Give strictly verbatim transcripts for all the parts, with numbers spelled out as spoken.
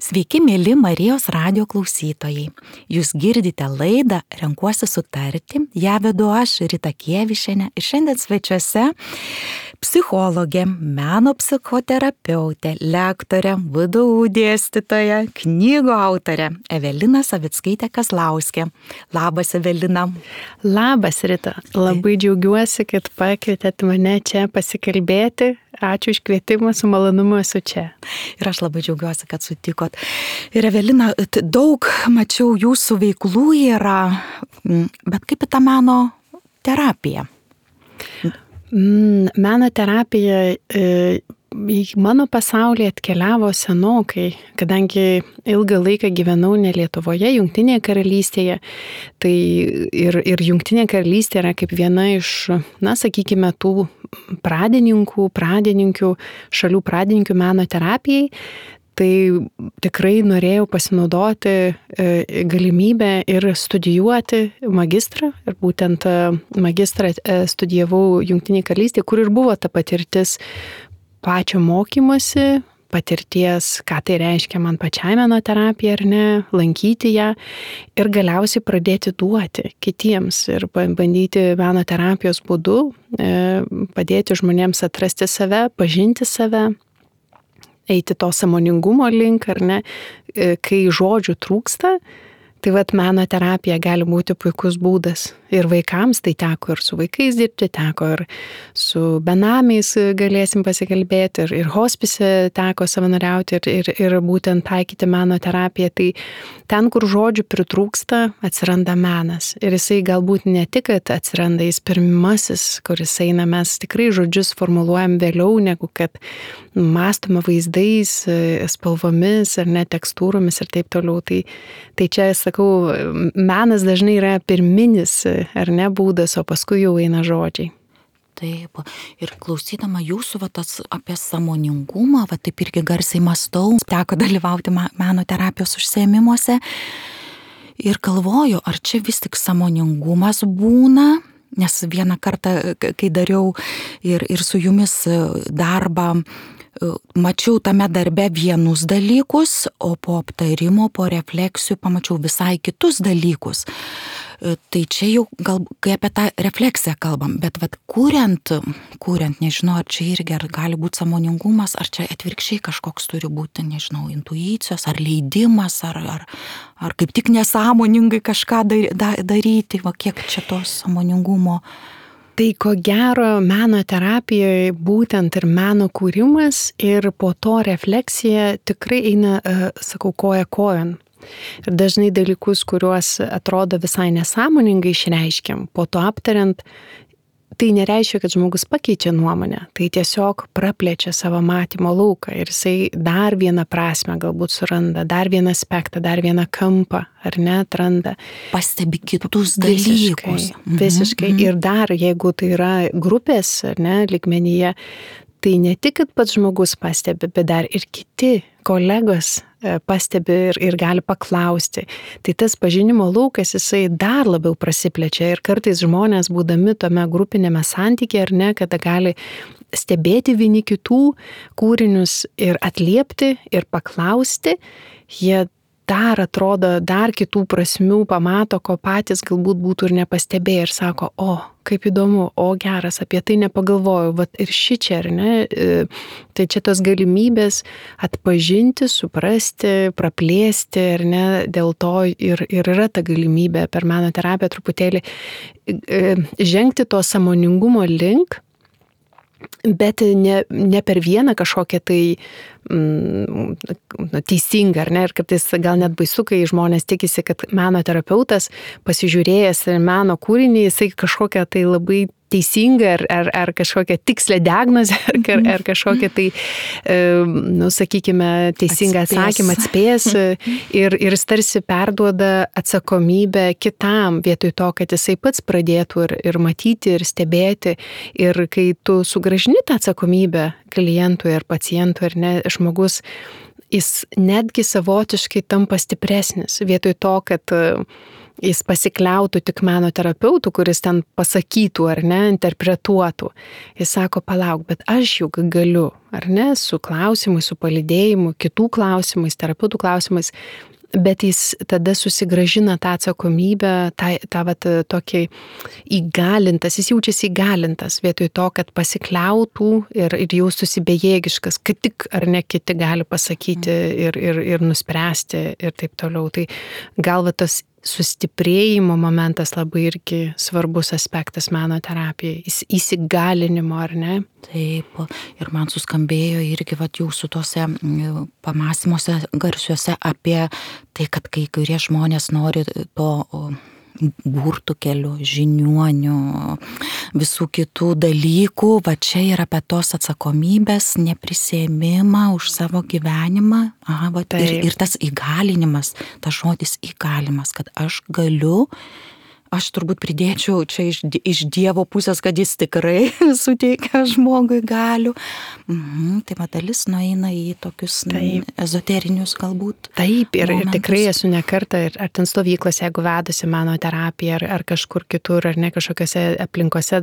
Sveiki, mėly Marijos radijo klausytojai. Jūs girdite laidą Renkuosi sutarti, ją vedu aš, Rita Kievišienė, ir šiandien svečiuose psichologė, meno psichoterapeutė, lektorė, V D U dėstytoja, knygų autorė Evelina Savickaitė-Kazlauskė. Labas, Evelina. Labas, Rita. Labai džiaugiuosi, kad pakvietėt mane čia pasikalbėti. Ačiū iš kvietimą, su malonumu esu čia. Ir aš labai džiaugiuosi, kad sutikot. Ir Evelina, daug mačiau jūsų veiklų yra, bet kaip į tą meno terapiją? Meno terapija į mano pasaulį atkeliavo senokai, kadangi ilgą laiką gyvenau ne Lietuvoje, Jungtinėje karalystėje. Tai ir, ir Jungtinė karalystė yra kaip viena iš, na, sakykime, tų pradininkų, pradininkių, šalių pradininkių meno terapijai. Tai tikrai norėjau pasinaudoti galimybę ir studijuoti magistrą. Ir būtent magistrą studijavau Jungtinėje karalystėje, kur ir buvo ta patirtis pačio mokymosi, patirties, ką tai reiškia man pačiai meno terapija ar ne, lankyti ją ir galiausiai pradėti duoti kitiems ir bandyti meno terapijos būdu padėti žmonėms atrasti save, pažinti save, eiti to sąmoningumo link, ar ne, kai žodžių trūksta. Tai vat meno terapija gali būti puikus būdas. Ir vaikams tai teko ir su vaikais dirbti, teko ir su benamiais galėsim pasikalbėti, ir, ir hospise teko savanoriauti ir, ir, ir būtent taikyti meno terapiją. Tai ten, kur žodžių pritrūksta, atsiranda menas. Ir jisai galbūt ne tik, kad atsiranda jis pirmasis, kuris eina, mes tikrai žodžius formuluojam vėliau, negu kad mąstome vaizdais, spalvomis ar net tekstūromis ir taip toliau. Tai, tai čia, sakau, menas dažnai yra pirminis, ar ne, būdas, o paskui jau eina žodžiai. Taip, ir klausydama jūsų va, tas, apie sąmoningumą, va, taip irgi garsiai mąstau, teko dalyvauti meno terapijos užsiėmimuose ir galvoju, ar čia vis tik sąmoningumas būna, nes vieną kartą, kai dariau ir, ir su jumis darbą, mačiau tame darbe vienus dalykus, o po aptarimo, po refleksijų pamačiau visai kitus dalykus. Tai čia jau gal, kai apie tą refleksiją kalbam, bet vat, kuriant, kuriant, nežinau, ar čia irgi ar gali būti sąmoningumas, ar čia atvirkščiai kažkoks turi būti, nežinau, intuicijos, ar leidimas, ar, ar, ar kaip tik nesąmoningai kažką daryti, va, kiek čia to sąmoningumo. Tai ko gero meno terapijoje būtent ir meno kūrimas ir po to refleksija tikrai eina, sakau, koja kojon. Ir dažnai dalykus, kuriuos atrodo visai nesąmoningai išreiškiam, po to aptariant, tai nereiškia, kad žmogus pakeičia nuomonę, tai tiesiog praplečia savo matymo lauką ir jisai dar vieną prasmę galbūt suranda, dar vieną aspektą, dar vieną kampą, ar ne, atranda. Pastebi kitus dalykus. Visiškai, visiškai. Mhm. Ir dar, jeigu tai yra grupės, ar ne, lygmenyje, tai ne tik, kad pats žmogus pastebi, bet dar ir kiti kolegos pastebi ir, ir gali paklausti. Tai tas pažinimo laukas, jisai dar labiau prasiplečia ir kartais žmonės, būdami tame grupinėme santykyje, ar ne, kada gali stebėti vieni kitų kūrinius ir atliepti ir paklausti, jie dar atrodo, dar kitų prasmių pamato, ko patys galbūt būtų ir nepastebėję ir sako, o, kaip įdomu, o geras, apie tai nepagalvojau, vat ir ši čia, ar ne, tai čia tos galimybės atpažinti, suprasti, praplėsti, ar ne, dėl to ir, ir yra ta galimybė per meno terapiją truputėlį žengti to sąmoningumo link, bet ne, ne per vieną kažkokią tai mm, teisingą, ar ne, ir kartais gal net baisu, kai žmonės tikisi, kad meno terapeutas pasižiūrėjęs meno kūrinį, jisai kažkokią tai labai teisingą ar, ar, ar kažkokią tikslę diagnozę, ar, ar kažkokią tai, nu, sakykime, teisingą atspės. atsakymą atspės ir, ir jis tarsi perduoda atsakomybę kitam, vietoj to, kad jisai pats pradėtų ir, ir matyti, ir stebėti. Ir kai tu sugrąžini tą atsakomybę klientui ar pacientui, ar ne, žmogus, jis netgi savotiškai tampa stipresnis, vietoj to, kad jis pasikliautų tik meno terapeutų, kuris ten pasakytų ar ne, interpretuotų. Jis sako, palauk, bet aš juk galiu, ar ne, su klausimais, su palydėjimu, kitų klausimais, terapeutų klausimais, bet jis tada susigražina tą atsakomybę, tą, tą vat, tokį įgalintas, jis jaučiasi įgalintas vietoj to, kad pasikliautų ir, ir jaustųsi bejėgiškas, kad tik ar ne kiti gali pasakyti ir, ir, ir nuspręsti ir taip toliau. Tai gal va tas sustiprėjimo momentas labai irgi svarbus aspektas meno terapijai, įsigalinimo, ar ne? Taip, ir man suskambėjo irgi vat jūsų tuose pamąstymuose garsiuose apie tai, kad kai kurie žmonės nori to burtų kelių, žiniuonių, visų kitų dalykų, va čia yra apie tos atsakomybės, neprisėmimą už savo gyvenimą, aha, va, ir, ir tas įgalinimas, tas žodis įgalimas, kad aš galiu, aš turbūt pridėčiau čia iš, iš Dievo pusės, kad jis tikrai suteikia žmogui galių. Mhm, tai va dalis nueina į tokius Taip. ezoterinius galbūt. Taip, ir, ir tikrai esu ne kartą, ir, ar ten stovyklose, jeigu vedusi mano terapiją, ar, ar kažkur kitur, ar ne kažkokiose aplinkose,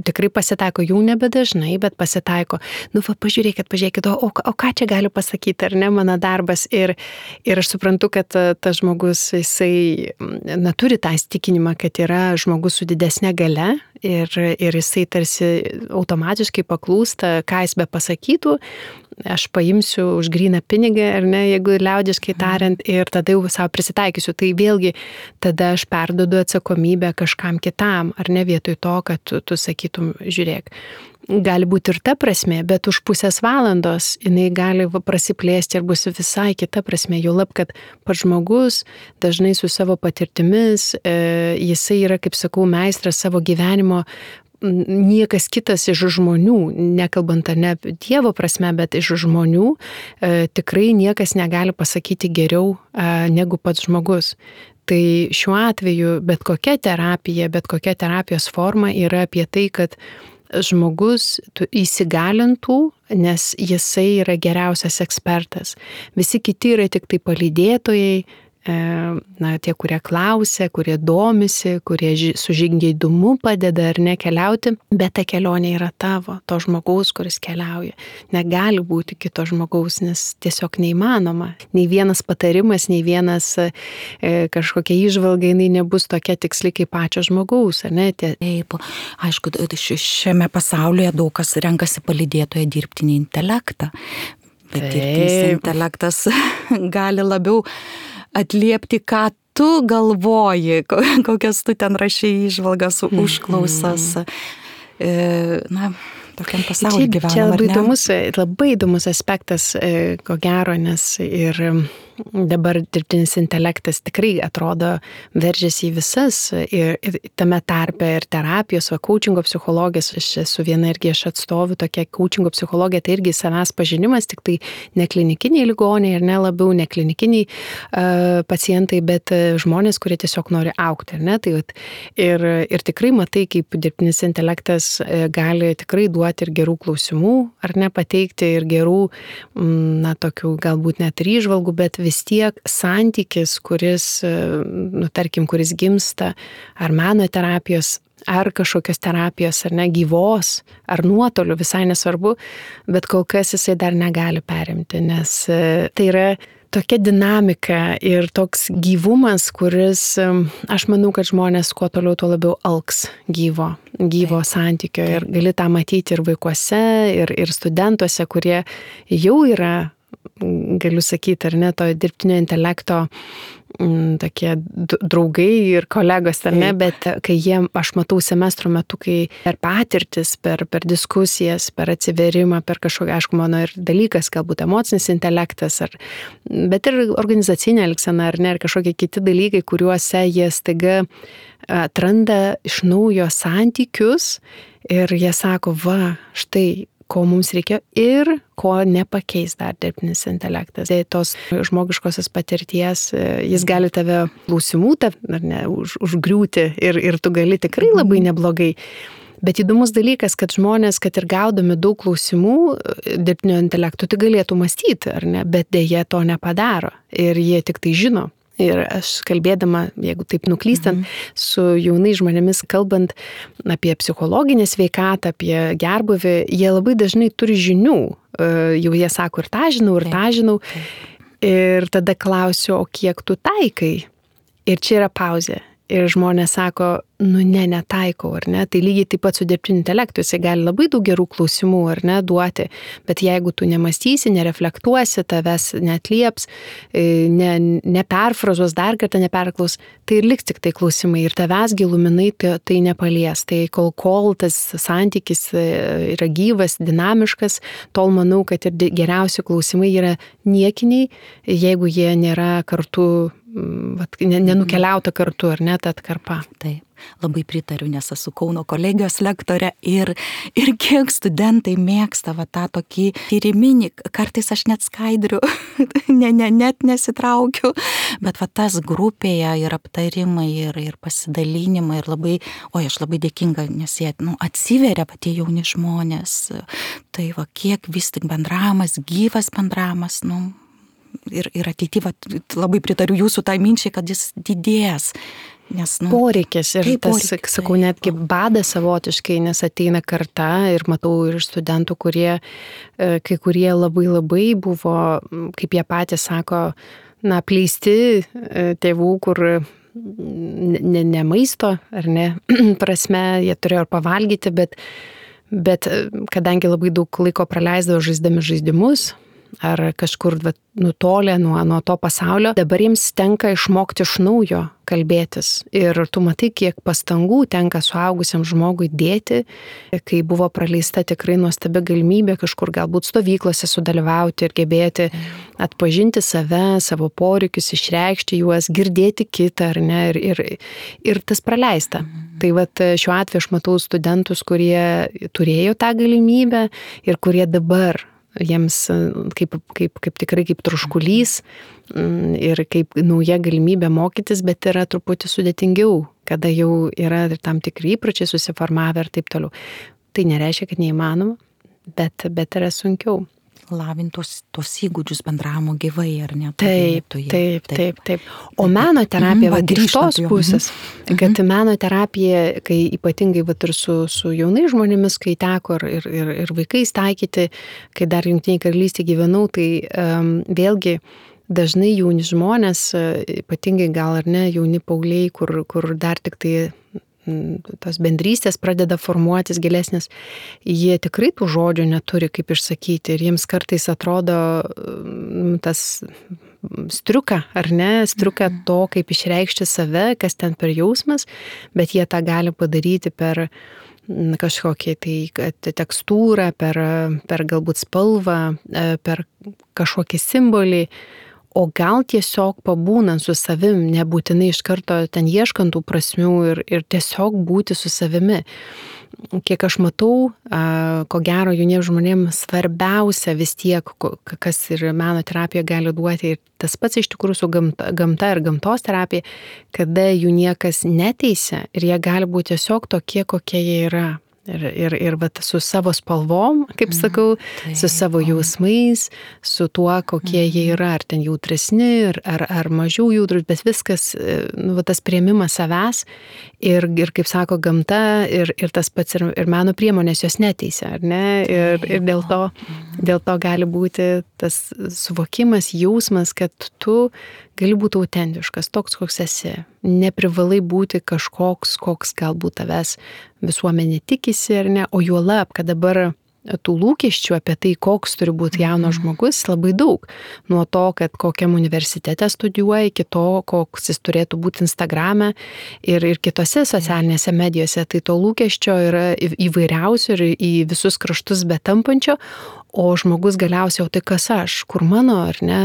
tikrai pasitaiko, jau nebedažnai, bet pasitaiko. Nu, va, pažiūrėkit, pažiūrėkit, o, o, o ką čia galiu pasakyti, ar ne, mano darbas. Ir, ir aš suprantu, kad tas žmogus, jisai na, turi tą įsitikinimą, kad yra žmogus su didesnė galia ir, ir jisai tarsi automatiškai paklūsta, ką jis be pasakytų, aš paimsiu už gryną pinigą, ar ne, jeigu liaudiškai tariant, ir tada jau savo prisitaikysiu. Tai vėlgi tada aš perduodu atsakomybę kažkam kitam, ar ne, vietoj to, kad tu, tu sakytum, žiūrėk. Gali būti ir ta prasme, bet už pusės valandos jinai gali prasiplėsti ir bus visai kita prasme. Jau lab, kad pats žmogus dažnai su savo patirtimis, e, jisai yra, kaip sakau, meistras savo gyvenimo, niekas kitas iš žmonių, nekalbant ne Dievo prasme, bet iš žmonių, e, tikrai niekas negali pasakyti geriau e, negu pats žmogus. Tai šiuo atveju bet kokia terapija, bet kokia terapijos forma yra apie tai, kad žmogus įsigalintų, nes jisai yra geriausias ekspertas. Visi kiti yra tik tai palydėtojai, na, tie, kurie klausia, kurie domisi, kurie su žingeidumu padeda ar ne keliauti, bet ta kelionė yra tavo, to žmogaus, kuris keliauja. Negali būti kito žmogaus, nes tiesiog neįmanoma. Nei vienas patarimas, nei vienas e, kažkokia įžvalga, jinai nebus tokia tiksli kaip pačio žmogaus, ar ne? Tie... Taip, aišku, šiame pasaulyje daug kas renkasi palydėtoje dirbtinį intelektą, bet Taip. dirbtinis intelektas gali labiau atliepti, ką tu galvoji, kokias tu ten rašai įžvalgas, užklausas. Na, tokiam pasaulyje gyvenam. Čia labai įdomus, labai įdomus aspektas, ko gero, nes ir dabar dirbtinis intelektas tikrai atrodo veržiasi į visas ir, ir tame tarpe ir terapijos, o coachingo psichologijos, aš esu viena irgi aš atstoviu tokia coachingo psichologija, tai irgi savęs pažinimas, tik tai ne klinikiniai ligoniai ir ne labiau ne klinikiniai uh, pacientai, bet žmonės, kurie tiesiog nori augti, ar ne? Tai, ir, ir tikrai matai, kaip dirbtinis intelektas gali tikrai duoti ir gerų klausimų, ar ne, pateikti ir gerų, na, tokių galbūt net ir įžvalgų, bet vis tiek santykis, kuris, nu, tarkim, kuris gimsta, ar meno terapijos, ar kažkokios terapijos, ar ne, gyvos, ar nuotolių, visai nesvarbu, bet kol kas jisai dar negali perimti, nes tai yra tokia dinamika ir toks gyvumas, kuris, aš manau, kad žmonės kuo toliau, tuo labiau alks gyvo, gyvo santykio ir gali tą matyti ir vaikuose, ir, ir studentuose, kurie jau yra, galiu sakyti, ar ne, to dirbtinio intelekto m, tokie draugai ir kolegos, ar ne, bet kai jie, aš matau semestro metu, kai per patirtis, per, per diskusijas, per atsiverimą, per kažkokią, aišku, mano ir dalykas, galbūt emocinis intelektas, ar, bet ir organizacinė elgsena, ar ne, ir kažkokie kiti dalykai, kuriuose jie staiga atranda iš naujo santykius ir jie sako, va, štai, ko mums reikia ir ko nepakeis dar dirbtinis intelektas. Tai tos žmogiškosios patirties, jis gali tave klausimų, ar ne, už, užgriūti ir, ir tu gali tikrai labai neblogai. Bet įdomus dalykas, kad žmonės, kad ir gaudomi daug klausimų dirbtinio intelekto, tai galėtų mąstyti, ar ne, bet dėja to nepadaro ir jie tik tai žino. Ir aš kalbėdama, jeigu taip nuklystant, mhm. su jaunai žmonėmis kalbant apie psichologinę sveikatą, apie gerbuvį, jie labai dažnai turi žinių. Jau jie sako, ir tą žinau, ir tą žinau. Ir tada klausiu, o kiek tu taikai? Ir čia yra pauzė. Ir žmonės sako, nu ne, netaikau, ar ne? Tai lygiai taip pat su dirbtiniu intelektu, jisai gali labai daug gerų klausimų, ar ne, duoti, bet jeigu tu nemastysi, nereflektuosi, tavęs neatlieps, ne, neperfrazuos, dar kartą neperklaus, tai ir liks tik tai klausimai ir tavęs giluminai tai, tai nepalies. Tai kol, kol tas santykis yra gyvas, dinamiškas, tol manau, kad ir geriausi klausimai yra niekiniai, jeigu jie nėra kartu, vat, nenukeliauta kartu, ar ne, ta atkarpa. Taip, labai pritariu, nes esu Kauno kolegijos lektorė ir, ir kiek studentai mėgsta va, tą tokį tyriminį, kartais aš net skaidriu, ne, ne, net nesitraukiu, bet va, tas grupėje ir aptarimai, ir, ir pasidalinimai, ir labai, oi, aš labai dėkinga, nes jie nu, atsiveria va, tie jauni žmonės, tai va, kiek vis tik bendravimas, gyvas bendravimas, nu, ir, ir ateityje labai pritariu jūsų tai minčiai, kad jis didės. Nes, nu, poreikis ir tai tas, poreikis, sakau, netgi badas savotiškai, nes ateina karta ir matau ir studentų, kurie, kai kurie labai labai buvo, kaip jie patys sako, na, apleisti tėvų, kur ne, ne maisto, ar ne, prasme, jie turėjo ir pavalgyti, bet, bet kadangi labai daug laiko praleisdavo žaisdami žaidimus, ar kažkur vat, nutolę nuo, nuo to pasaulio, dabar jiems tenka išmokti iš naujo kalbėtis. Ir tu matai, kiek pastangų tenka suaugusiam žmogui dėti, kai buvo praleista tikrai nuostabi galimybė kažkur galbūt stovyklose sudalyvauti ir gebėti atpažinti save, savo poreikius, išreikšti juos, girdėti kitą, ar ne, ir, ir, ir tas praleista. Mhm. Tai vat, šiuo atveju aš matau studentus, kurie turėjo tą galimybę ir kurie dabar jiems kaip, kaip, kaip tikrai kaip troškulys ir kaip nauja galimybė mokytis, bet yra truputį sudėtingiau, kada jau yra tam tikri įpročiai susiformavę ir taip toliau. Tai nereiškia, kad neįmanoma, bet, bet yra sunkiau. Lavintos tos įgūdžius bendravimo gyvai, ar ne? Taip, taip, taip, taip, taip. O meno terapija, mm, va, iš tos pusės, mm-hmm. kad meno terapija, kai ypatingai va, ir su, su jaunai žmonėmis, kai teko ir, ir, ir vaikais taikyti, kai dar Jungtinėje Karalystėje gyvenau, tai um, vėlgi dažnai jauni žmonės, ypatingai gal ar ne, jauni paaugliai, kur, kur dar tik tai tos bendrystės pradeda formuotis gilesnės, jie tikrai tų žodžių neturi, kaip išsakyti, ir jiems kartais atrodo tas striuka, ar ne, striuka to, kaip išreikšti save, kas ten per jausmas, bet jie tą gali padaryti per kažkokią tai tekstūrą, per, per galbūt spalvą, per kažkokį simbolį, o gal tiesiog pabūnant su savim, nebūtinai iš karto ten ieškant tų prasmių ir, ir tiesiog būti su savimi. Kiek aš matau, ko gero jauniems žmonėms svarbiausia vis tiek, kas ir meno terapija gali duoti, ir tas pats iš tikrųjų su gamta, gamta ir gamtos terapija, kada jų niekas neteisia ir jie gali būti tiesiog tokie, kokie jie yra. Ir, ir, ir vat, su savo spalvom, kaip sakau, mm, su savo jausmais, su tuo, kokie mm. jie yra, ar ten jautresni, ar, ar, ar mažiau jautrus, bet viskas, nu, vat, tas priėmimas savęs ir, ir kaip sako, gamta ir, ir tas pats ir, ir meno priemonės jos neteisia, ar ne? Ir, ir dėl to, dėl to gali būti tas suvokimas, jausmas, kad tu gali būti autentiškas, toks, koks esi. Neprivalai būti kažkoks, koks galbūt tavęs visuomenė tikisi, ar ne, o juolab, kad dabar tų lūkesčių apie tai, koks turi būti jaunas žmogus, labai daug. Nuo to, kad kokiam universitete studijuoja, iki to, koks jis turėtų būti Instagrame ir, ir kitose socialinėse medijose. Tai to lūkesčio yra įvairiausių ir į visus kraštus betampančio, o žmogus galiausiai, o tai kas aš, kur mano, ar ne,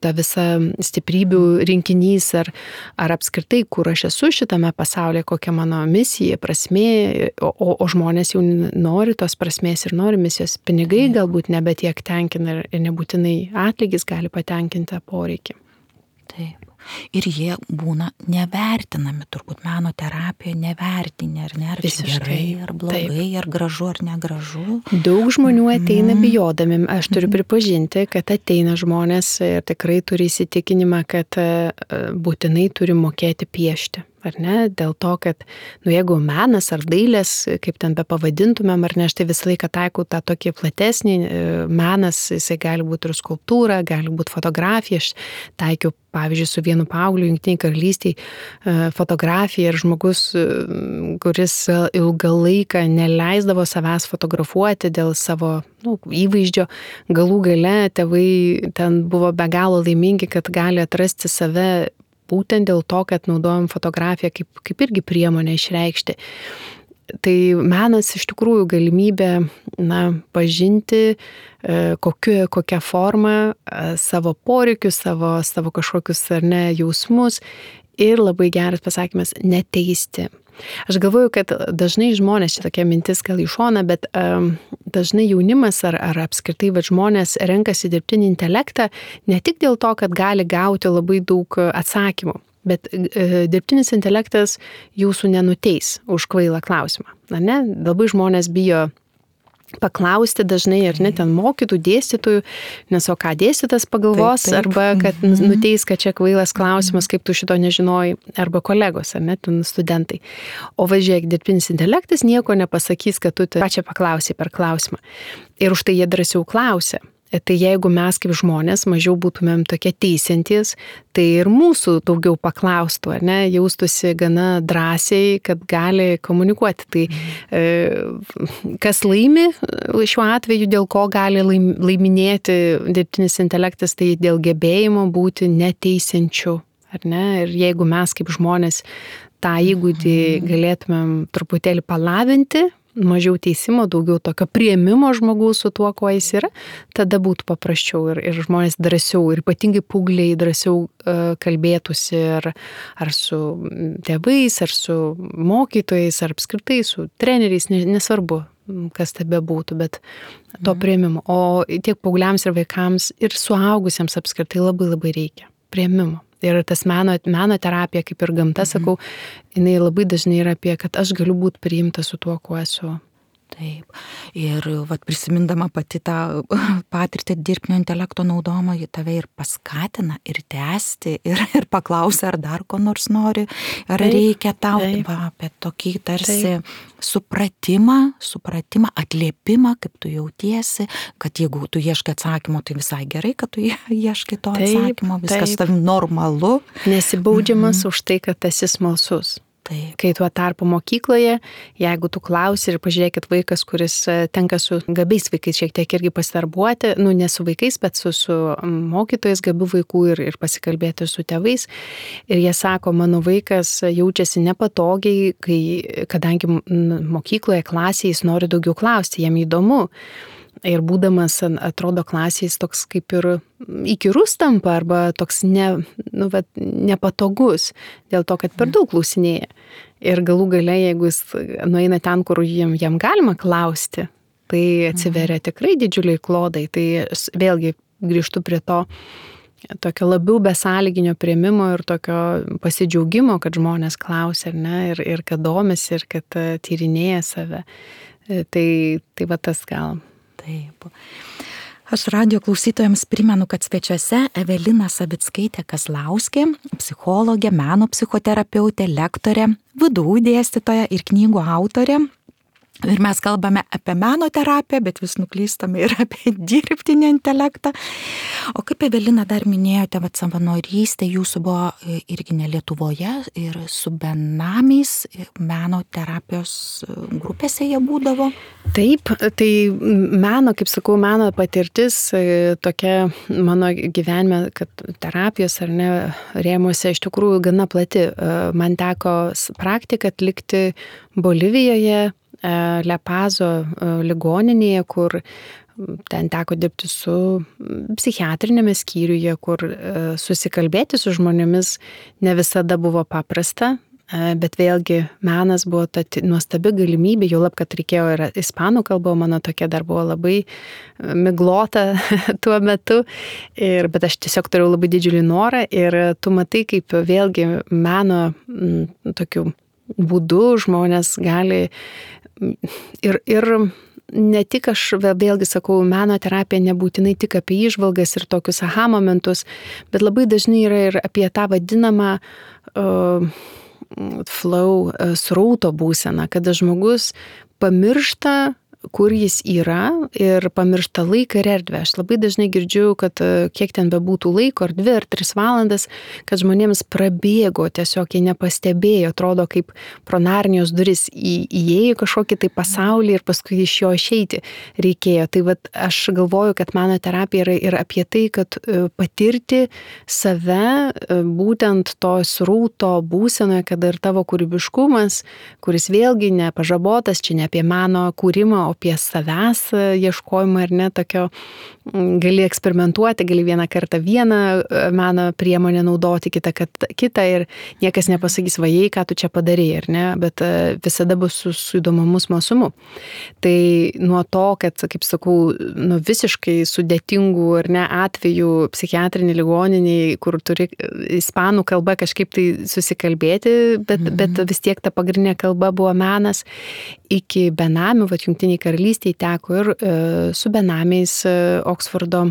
ta visa stiprybių rinkinys, ar, ar apskritai, kur aš esu šitame pasaulyje, kokia mano misija, prasmė, o, o, o žmonės jau nori tos prasmės ir nori misijos. Pinigai galbūt nebe tiek tenkina ir nebūtinai atlygis gali patenkinti poreikį. Taip. Ir jie būna nevertinami, turbūt meno terapija nevertinė, ar ne, ar čia gerai, ar blogai, taip. Ar gražu, ar negražu. Daug žmonių ateina mm. bijodami. Aš turiu pripažinti, kad ateina žmonės ir tikrai turi įsitikinimą, kad būtinai turi mokėti piešti. Ar ne? Dėl to, kad nu, jeigu menas ar dailės, kaip ten be pavadintumėm, ar ne, aš tai visą laiką taikau tą tokį platesnį menas, jisai gali būti ir skulptūra, gali būti fotografija. Aš taikiau, pavyzdžiui, su vienu paaugliu Jungtinėje karalystėje fotografiją ir žmogus, kuris ilgą laiką neleisdavo savęs fotografuoti dėl savo nu, įvaizdžio, galų gale tėvai ten buvo be galo laimingi, kad gali atrasti save būtent dėl to, kad naudojam fotografiją kaip, kaip irgi priemonę išreikšti. Tai menas iš tikrųjų galimybė na, pažinti kokiu, kokią formą savo poreikius, savo, savo kažkokius ar ne jausmus ir labai geras pasakymas - neteisti. Aš galvoju, kad dažnai žmonės, čia tokia mintis gal į šoną, bet um, dažnai jaunimas ar, ar apskritai va, žmonės renkasi dirbtinį intelektą ne tik dėl to, kad gali gauti labai daug atsakymų, bet e, dirbtinis intelektas jūsų nenuteis už kvailą klausimą. Na, ne? Labai žmonės bijo paklausti dažnai, ar ne, ten mokytų, dėstytojų, nes o ką dėstytas pagalvos, taip, taip. Arba kad nuteis, kad čia kvailas klausimas, kaip tu šito nežinojai, arba kolegos, ar ne, studentai. O važiuok, dirbtinis intelektas nieko nepasakys, kad tu ką čia paklausai per klausimą. Ir už tai jie drąsiau klausia. Tai jeigu mes kaip žmonės mažiau būtumėm tokie teisiantys, tai ir mūsų daugiau paklaustų, ar ne, jaustųsi gana drąsiai, kad gali komunikuoti. Tai e, kas laimi šiuo atveju, dėl ko gali laiminėti dirbtinis intelektas, tai dėl gebėjimo būti neteisiančiu, ar ne? Ir jeigu mes kaip žmonės tą įgūdį galėtumėm truputėlį palavinti, mažiau teisimo, daugiau tokio priėmimo žmogaus su tuo, kuo jis yra, tada būtų paprasčiau ir, ir žmonės drąsiau, ir ypatingai paaugliai drąsiau uh, kalbėtųsi ar, ar su tėvais, ar su mokytojais, ar apskritai su treneriais, nesvarbu, kas tai bebūtų, bet to mm. priėmimo. O tiek paaugliams ir vaikams ir suaugusiems apskritai labai labai reikia priėmimo. Ir tas meno, meno terapija, kaip ir gamta, mhm. sakau, jinai labai dažnai yra apie, kad aš galiu būti priimta su tuo, kuo esu. Taip. Ir vat, prisimindama pati tą patirtį dirbtinio intelekto naudojimą, ji tave ir paskatina, ir tęsti, ir, ir paklausia, ar dar ko nors nori, ar taip, reikia tau, taip. Va, apie tokį tarsi taip. supratimą, supratimą, atliepimą, kaip tu jautiesi, kad jeigu tu ieškai atsakymo, tai visai gerai, kad tu ieškai to taip, atsakymo, viskas tavim normalu. Nesibaudžiamas mhm. už tai, kad esi smalsus. Taip. Kai tuo tarpu mokykloje, jeigu tu klausi ir pažiūrėkit vaikas, kuris tenka su gabiais vaikais šiek tiek irgi pasidarbuoti, nu ne su vaikais, bet su, su mokytojais gabių vaikų ir, ir pasikalbėti su tėvais. Ir jie sako, mano vaikas jaučiasi nepatogiai, kai, kadangi mokykloje, klasėje jis nori daugiau klausti, jam įdomu. Ir būdamas, atrodo, klasės toks kaip ir įkyrus tampa arba toks ne, nu, vat, nepatogus dėl to, kad per daug klausinėja. Ir galų gale, jeigu jis nueina ten, kur jam, jam galima klausti, tai atsiveria tikrai didžiuliai klodai. Tai vėlgi grįžtu prie to tokio labiau besąlyginio priėmimo ir tokio pasidžiaugimo, kad žmonės klausia, ar ne, ir, ir kad domisi, ir kad tyrinėja save. Tai, tai va tas gal. Taip. Aš radijo klausytojams primenu, kad svečiuose Evelina Savickaitė Kazlauskė, psichologė, meno psichoterapeutė, lektorė, V D U dėstytoja ir knygų autorė. Ir mes kalbame apie meno terapiją, bet vis nuklystame ir apie dirbtinį intelektą. O kaip Evelina dar minėjote, vat savanorystė jūsų buvo irgi ne Lietuvoje ir su benamiais meno terapijos grupėse jie būdavo? Taip, tai meno, kaip sakau, meno patirtis tokia mano gyvenime, kad terapijos ar ne rėmuose iš tikrųjų gana plati. Man teko praktiką atlikti Bolivijoje, Lepazo ligoninėje, kur ten teko dirbti su psichiatrinėme skyriuje, kur susikalbėti su žmonėmis ne visada buvo paprasta. bet vėlgi menas buvo ta nuostabi galimybė, jau lab, kad reikėjo ir ispanų kalba, mano tokia dar buvo labai miglota tuo metu, ir, bet aš tiesiog turėjau labai didžiulį norą ir tu matai, kaip vėlgi meno m, tokiu būdu žmonės gali ir, ir ne tik aš vėlgi sakau, meno terapija nebūtinai tik apie įžvalgas ir tokius aha momentus, bet labai dažnai yra ir apie tą vadinamą uh, flow, srauto būseną, kada žmogus pamiršta, kur jis yra ir pamiršta laiką ir erdvę. Aš labai dažnai girdžiu, kad kiek ten bebūtų laiko, ar dvi, ar tris valandas, kad žmonėms prabėgo, tiesiog jie nepastebėjo, atrodo kaip pro Narnijos duris į, įėjo kažkokį tai pasaulį ir paskui iš jo išeiti reikėjo. Tai vat, aš galvoju, kad meno terapija yra ir apie tai, kad patirti save būtent to srauto būsenoje, kada ir tavo kūrybiškumas, kuris vėlgi nepažabotas, čia ne apie meno kūrimą, o apie savęs ieškojimą ar ne, tokio gali eksperimentuoti, gali vieną kartą vieną meno priemonę naudoti, kitą kartą kitą ir niekas nepasakys, vajai, ką tu čia padarei, ar ne, bet visada bus su, su įdomumu smalsumu. Tai nuo to, kad, kaip sakau, nu, visiškai sudėtingų ar ne atvejų psichiatrinį ligoniniai, kur turi ispanų kalba kažkaip tai susikalbėti, bet, mm-hmm. bet vis tiek ta pagrindinė kalba buvo menas, iki benamių, va, Jungtiniai karalystėje teko ir e, su benamiais e, Oksfordo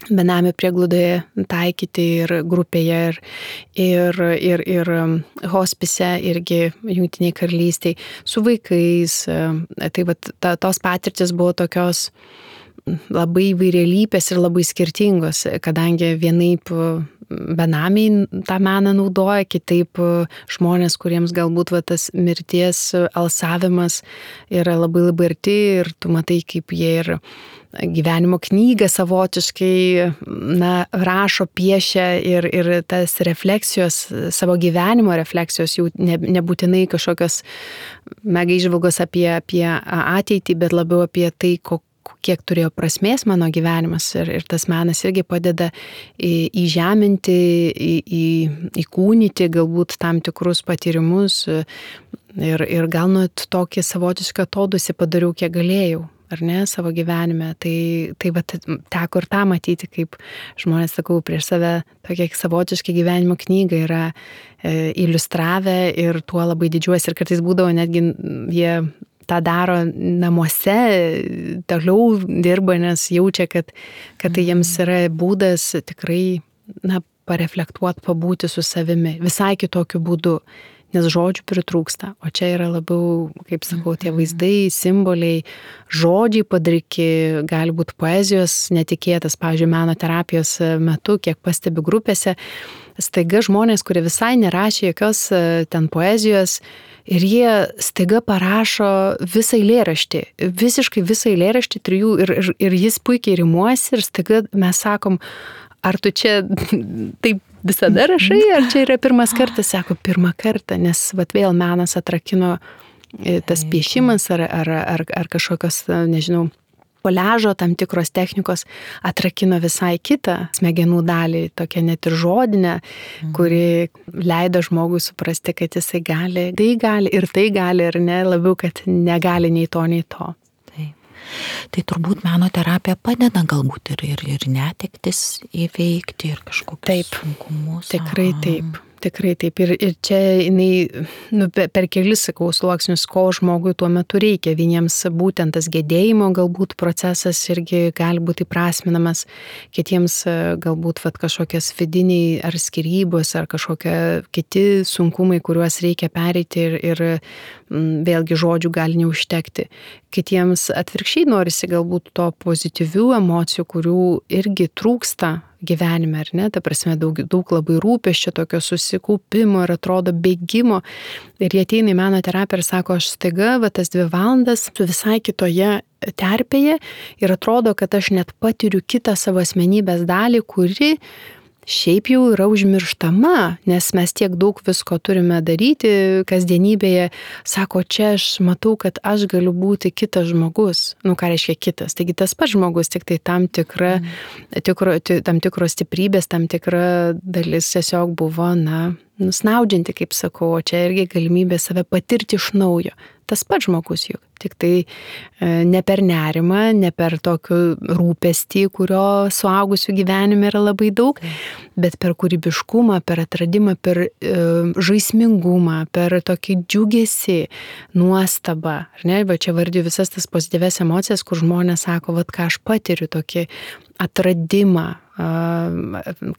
benamių prieglaudoje taikyti ir grupėje, ir, ir, ir, ir hospise irgi Jungtiniai karalystėje, su vaikais. E, tai va, ta, tos patirtis buvo tokios labai įvairialypės ir labai skirtingos, kadangi vienaip benamiai tą meną naudoja, kitaip žmonės, kuriems galbūt va, tas mirties alsavimas yra labai labai arti ir tu matai, kaip jie ir gyvenimo knygą savotiškai na, rašo, piešia ir, ir tas refleksijos, savo gyvenimo refleksijos jau ne, nebūtinai kažkokios mega įžvalgos apie, apie ateitį, bet labiau apie tai, kokia kiek turėjo prasmės mano gyvenimas ir, ir tas menas irgi padeda į, įžeminti, į, į, įkūnyti galbūt tam tikrus patyrimus ir, ir gal net tokį savotišką atodūsį padariau, kiek galėjau, ar ne, savo gyvenime. Tai, tai va, teko ir tą matyti, kaip žmonės, sakau, prieš save tokia savotiškai gyvenimo knyga yra e, iliustravę ir tuo labai didžiuosi ir kartais būdavo netgi jie tą daro namuose, toliau dirba, nes jaučia, kad, kad tai jiems yra būdas tikrai na, pareflektuoti, pabūti su savimi, visai kitokiu būdu, nes žodžių pritrūksta, o čia yra labiau, kaip sakau, tie vaizdai, simboliai, žodžiai padriki, gali būti poezijos netikėtas, pavyzdžiui, meno terapijos metu, kiek pastebiu grupėse, staiga žmonės, kurie visai nerašė jokios ten poezijos, ir jie staiga parašo visą eilėraštį, visiškai visą eilėraštį trijų ir, ir, ir jis puikiai rimuosi ir staiga mes sakom, ar tu čia taip visada rašai, ar čia yra pirmas kartas, sako, pirmą kartą, nes vat vėl menas atrakino tas piešimas ar, ar, ar, ar kažkokios, nežinau, koliažo tam tikros technikos atrakino visai kitą smegenų dalį, tokią net ir žodinę, kuri leido žmogui suprasti, kad jisai gali, tai gali ir tai gali, ir ne, labiau, kad negali nei to, nei to. Taip. Tai turbūt meno terapija padeda galbūt ir, ir, ir netektis įveikti ir kažkokius sunkumus. Tikrai taip. Tikrai taip. Ir, ir čia jinai, nu, per kelis, sakau, sluoksnius, ko žmogui tuo metu reikia. Vieniems būtent tas gedėjimo galbūt procesas irgi gali būti įprasminamas, kitiems galbūt vat, kažkokias vidiniai ar skyrybos, ar kažkokie kiti sunkumai, kuriuos reikia pereiti ir, ir m, vėlgi žodžių gali neužtekti. Kitiems atvirkščiai norisi galbūt to pozityvių emocijų, kurių irgi trūksta gyvenime, ar ne, ta prasme daug, daug labai rūpesčio, tokio susikaupimo ir atrodo bėgimo. Ir jie ateina į meno terapiją ir sako, aš staiga, va tas dvi valandas su visai kitoje terpėje ir atrodo, kad aš net patiriu kitą savo asmenybės dalį, kuri šiaip jau yra užmirštama, nes mes tiek daug visko turime daryti kasdienybėje. Sako, čia aš matau, kad aš galiu būti kitas žmogus. Nu, ką reiškia kitas? Taigi tas pats žmogus, tik tai tam tikra, mm. tikro, tam tikros stiprybės, tam tikra dalis tiesiog buvo, na, nusnaudžianti, kaip sakau, o čia irgi galimybė save patirti iš naujo. Tas pats žmogus juk, tik tai e, ne per nerimą, ne per tokį rūpestį, kurio suaugusių gyvenime yra labai daug, bet per kūrybiškumą, per atradimą, per e, žaismingumą, per tokį džiugesį, nuostabą. Ar ne? Va čia vardiju visas tas pozityves emocijas, kur žmonės sako, vat ką aš patiriu, tokį atradimą,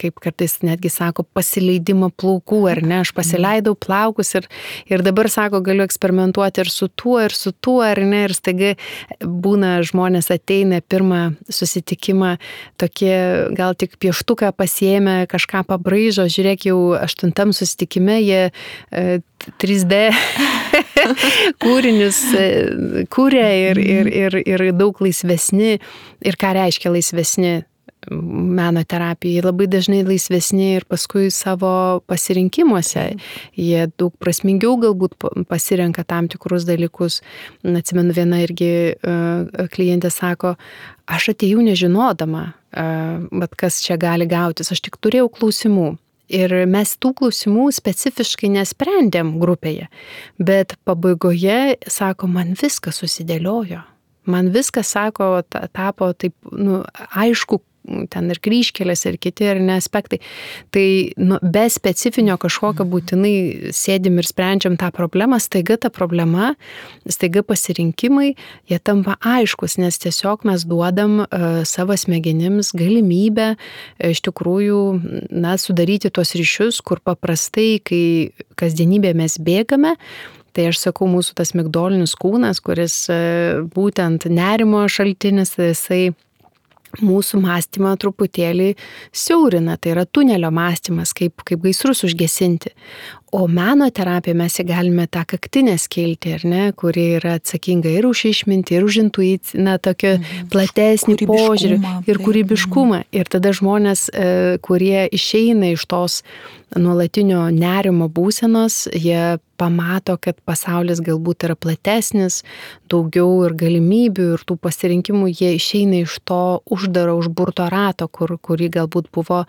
kaip kartais netgi sako, pasileidimą plaukų, ar ne, aš pasileidau plaukus ir, ir dabar sako, galiu eksperimentuoti ir su tuo, ir su tuo, ar ne, ir staiga būna žmonės ateina pirmą susitikimą, tokie gal tik pieštuką pasiėmė, kažką pabraižo, žiūrėk, jau aštuntam susitikime jie trys D kūrinius kūrė ir, ir, ir, ir daug laisvesni. Ir ką reiškia laisvesni? Meno terapijai labai dažnai laisvesni ir paskui savo pasirinkimuose. Jie daug prasmingiau galbūt pasirenka tam tikrus dalykus. Atsimenu, viena irgi uh, klientė sako, aš atėjau nežinodama, uh, bet kas čia gali gautis, aš tik turėjau klausimų. Ir mes tų klausimų specifiškai nesprendėm grupėje, bet pabaigoje, sako, man viskas susidėliojo. Man viskas, sako, tapo taip, nu, aišku, ten ir kryžkelės, ir kiti, ir ne aspektai. Tai nu, be specifinio kažkokio būtinai sėdim ir sprendžiam tą problemą, staiga ta problema, staiga pasirinkimai, jie tampa aiškus, nes tiesiog mes duodam uh, savo smegenims galimybę uh, iš tikrųjų, na, sudaryti tos ryšius, kur paprastai, kai kasdienybė mes bėgame, tai aš sakau, mūsų tas migdolinis kūnas, kuris uh, būtent nerimo šaltinis, tai jisai mūsų mąstymą truputėlį siaurina, tai yra tunelio mąstymas, kaip, kaip gaisrus užgesinti. O meno terapija mes įgalime tą kaktinę skiltį, ar ne, kuri yra atsakinga ir už išmintį, ir už intuiciją, na, tokį platesnį požiūrį ir kūrybiškumą. Ir tada žmonės, kurie išeina iš tos nuolatinio nerimo būsenos, jie pamato, kad pasaulis galbūt yra platesnis, daugiau ir galimybių, ir tų pasirinkimų, jie išeina iš to uždaro, užburto rato, kur, kurį galbūt buvo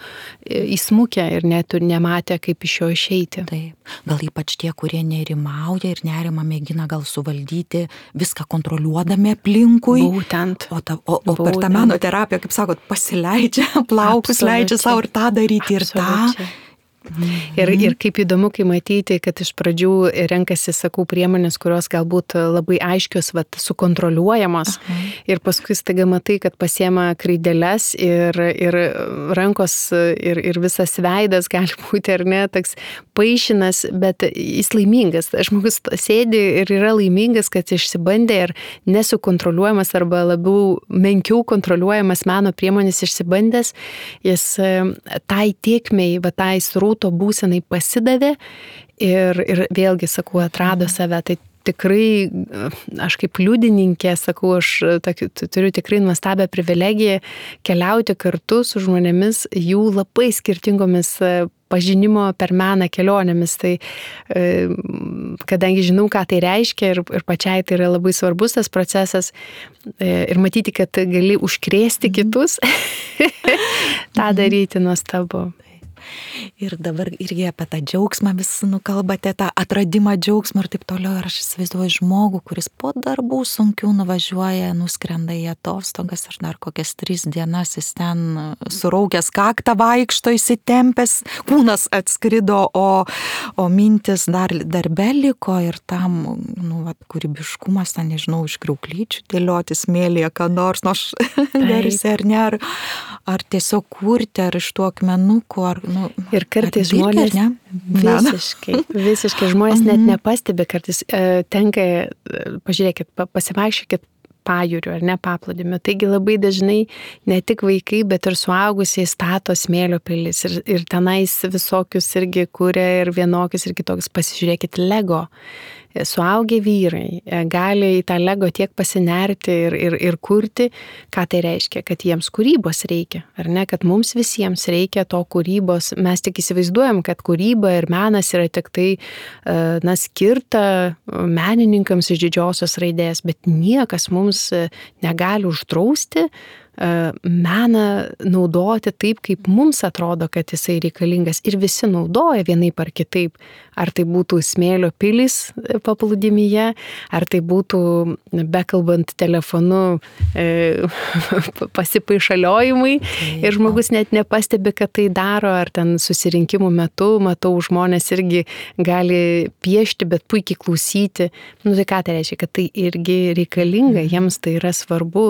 įsmukę ir net nematė, kaip iš jo išeiti. Taip. Gal ypač tie, kurie nerimauja ir nerimą mėgina gal suvaldyti, viską kontroliuodami aplinkui. Būtent. O, ta, o, o per tą meno terapiją, kaip sakot, pasileidžia plaukus, Absoliučiai. Leidžia savo ir tą daryti, ir Absoliučiai. tą. Ir, ir kaip įdomu, kai matyti, kad iš pradžių renkasi, sakau, priemonės, kurios galbūt labai aiškios, vat, sukontroliuojamos. Aha. Ir paskui staiga matai, kad pasiema kreideles ir, ir rankos ir, ir visas veidas gali būti, ar ne, toks paišinas, bet jis laimingas. Žmogus sėdi ir yra laimingas, kad išsibandė ir nesukontroliuojamas arba labiau menkiau kontroliuojamas meno priemonės išsibandęs, jis tai tiekmei, va tai srū to būsenai pasidavė ir, ir vėlgi, sakau, atrado save. Tai tikrai, aš kaip liudininkė, sakau, aš tokiu, turiu tikrai nuostabią privilegiją keliauti kartu su žmonėmis jų labai skirtingomis pažinimo per meną kelionėmis. Tai kadangi žinau, ką tai reiškia ir, ir pačiai tai yra labai svarbus tas procesas ir matyti, kad gali užkrėsti kitus, tą daryti nuostabu. Ir dabar irgi apie tą džiaugsmą vis nukalbate, tą atradimą džiaugsmą ir taip toliau. Ir aš įsivaizduoju žmogų, kuris po darbų sunkių nuvažiuoja, nuskrenda į atostogas ir dar kokias tris dienas jis ten suraukęs kaktą vaikšto, įsitempęs, kūnas atskrido, o, o mintis dar darbe liko ir tam, nu, vat, kūrybiškumas, ten, nežinau, iš kriauklyčių dėlioti smėlyje, ką nors, nors garsi ar ne, ar, ar tiesiog kurti, ar iš tų akmenukų, ar nu, ir kartais žmonės ne? visiškai, visiškai žmonės net nepastebi, kartais e, tenka, pažiūrėkit, pasivaikščiokit pajūriu ar ne paplūdimiu. Taigi labai dažnai ne tik vaikai, bet ir suaugusiai stato smėlio pilis ir, ir tenais visokius irgi kuria ir vienokius ir kitokius. Pasižiūrėkit, Lego. Suaugę vyrai gali į tą Lego tiek pasinerti ir, ir, ir kurti, ką tai reiškia, kad jiems kūrybos reikia, ar ne, kad mums visiems reikia to kūrybos. Mes tik įsivaizduojam, kad kūryba ir menas yra tik tai, na, skirta menininkams iš didžiosios raidės, bet niekas mums negali uždrausti meną naudoti taip, kaip mums atrodo, kad jisai reikalingas ir visi naudoja vienaip ar kitaip. Ar tai būtų smėlio pilis paplūdimyje, ar tai būtų bekalbant telefonu e, pasipaišaliojimai ir žmogus net nepastebi, kad tai daro, ar ten susirinkimų metu, matau, žmonės irgi gali piešti, bet puikiai klausyti. Nu tai ką tai reiškia, kad tai irgi reikalinga, jiems tai yra svarbu,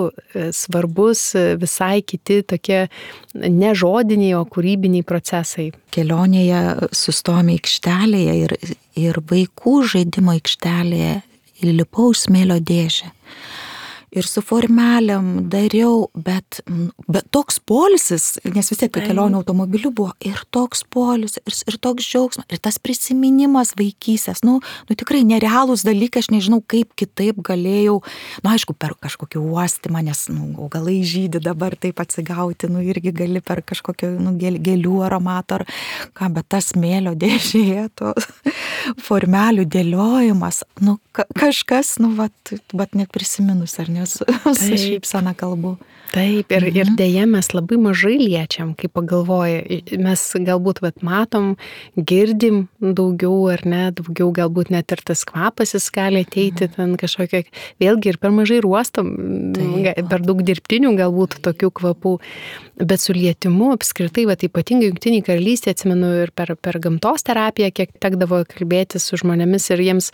svarbus visai kiti tokie ne žodiniai, o kūrybiniai procesai. Kelionėje sustojome aikštelėje ir, ir vaikų žaidimo aikštelėje įlipau į smėlio dėžę. Ir su formelėm dariau, bet, bet toks poilsis, nes vis tiek kelionė automobiliu buvo, ir toks poilsis, ir, ir toks džiaugsmas, ir tas prisiminimas vaikystės, nu, nu tikrai nerealūs dalykai, aš nežinau, kaip kitaip galėjau, nu aišku, per kažkokį uostymą, nes nu, augalai žydi dabar taip atsigauti, nu irgi gali per kažkokį nu, gėlių aromatą ar ką, bet tas smėlio dėžėje, to formelių dėliojimas, nu ka, kažkas, nu, vat, vat net prisiminus, ar ne? Su, su šypsena kalbu. Taip, ir, mhm. ir dėja mes labai mažai liečiam, kai pagalvoja. Mes galbūt vat, matom, girdim daugiau ar ne, daugiau galbūt net ir tas kvapas jis gali ateiti, mhm. ten kažkokia, vėlgi ir per mažai ruostom, Taip. per daug dirbtinių galbūt tokių kvapų. Bet su lietimu apskritai, vat, ypatingai Jungtinėje Karalystėje, atsimenu ir per, per gamtos terapiją, kiek tekdavo kalbėti su žmonėmis ir jiems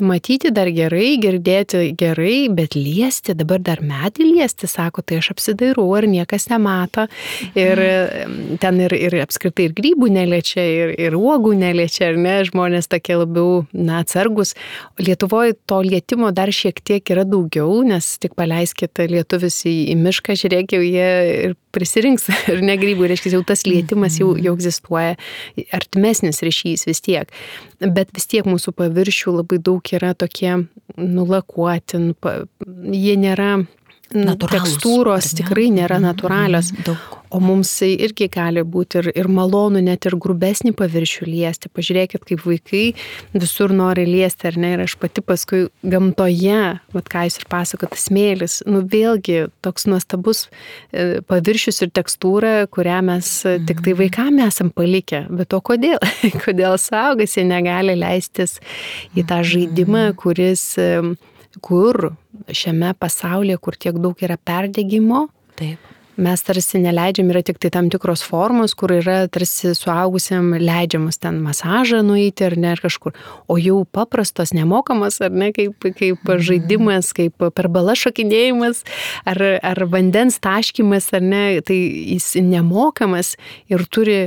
matyti dar gerai, girdėti gerai, bet liesti, dabar dar medį liesti, sako, tai aš apsidairau, ar niekas nemato. Ir ten ir, ir apskritai ir grybų neliečia, ir, ir uogų neliečia, ar ne, žmonės tokie labiau, na, atsargus. Lietuvoje to lietimo dar šiek tiek yra daugiau, nes tik paleiskite lietuvis į, į mišką, žiūrėk, jau jie ir prisirinks ir ne grybų, reiškia, jau tas lietimas jau, jau egzistuoja, artimesnis ryšys vis tiek. Bet vis tiek mūsų paviršių labai daug yra tokie nulakuoti, jie nėra Natūralūs, tekstūros, tikrai nėra natūralios. Daug. O mums irgi gali būti ir, ir malonu net ir grubesnį paviršių liesti. Pažiūrėkit, kaip vaikai visur nori liesti, ar ne? Ir aš pati paskui gamtoje, vat ką jūs ir pasakot, smėlis, nu vėlgi toks nuostabus paviršius ir tekstūra, kurią mes mm. tik tai vaikam esam palikę. Bet o kodėl? Kodėl suaugusiai negali leistis į tą žaidimą, kuris, kur šiame pasaulyje, kur tiek daug yra perdegimo, Taip. mes tarsi neleidžiam, yra tik tai tam tikros formos, kur yra tarsi suaugusiam leidžiamas ten masažą nueiti ar ne, ar kažkur. O jau paprastos nemokamas, ar ne, kaip, kaip žaidimas, kaip per balas šokinėjimas, ar, ar vandens taškymas, ar ne, tai jis nemokamas ir turi